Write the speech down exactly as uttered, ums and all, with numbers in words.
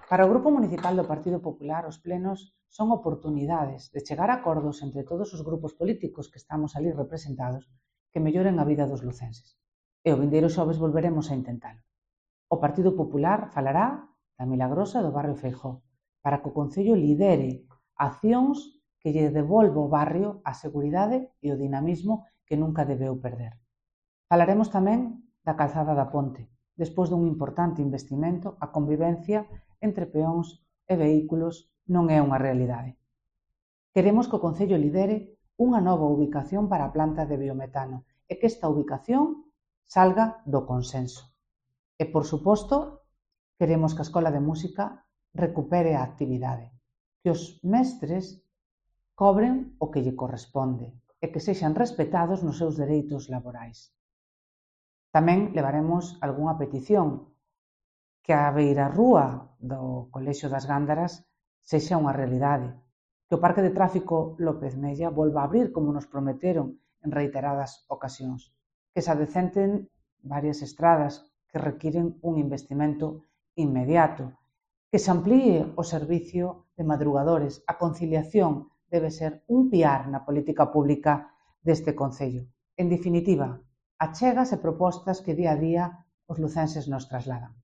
Para o Grupo Municipal do Partido Popular, os plenos son oportunidades de chegar a acordos entre todos os grupos políticos que estamos ali representados que melloren a vida dos lucenses. E o vindeiro xoves volveremos a intentalo. O Partido Popular falará da Milagrosa do barrio Feijóo para que o Concello lidere accións que lle devolva ao barrio a seguridade e o dinamismo que nunca debeu perder. Falaremos tamén da calzada da Ponte. Despois dun importante investimento, a convivencia entre peóns e vehículos non é unha realidade. Queremos que o Concello lidere unha nova ubicación para a planta de biometano e que esta ubicación salga do consenso. E, por suposto, queremos que a Escola de Música recupere a actividade, que os mestres cobren o que lle corresponde e que sexan respetados nos seus dereitos laborais. Tamén levaremos algunha petición que a beirarrúa do Colexio das Gándaras sexa unha realidade, que o Parque de Tráfico López Mella volva a abrir como nos prometeron en reiteradas ocasións, que se adecenten varias estradas que requiren un investimento inmediato, que se amplíe o servicio de madrugadores. A conciliación debe ser un piar na política pública deste Concello. En definitiva, achegas e propostas que día a día os lucenses nos trasladan.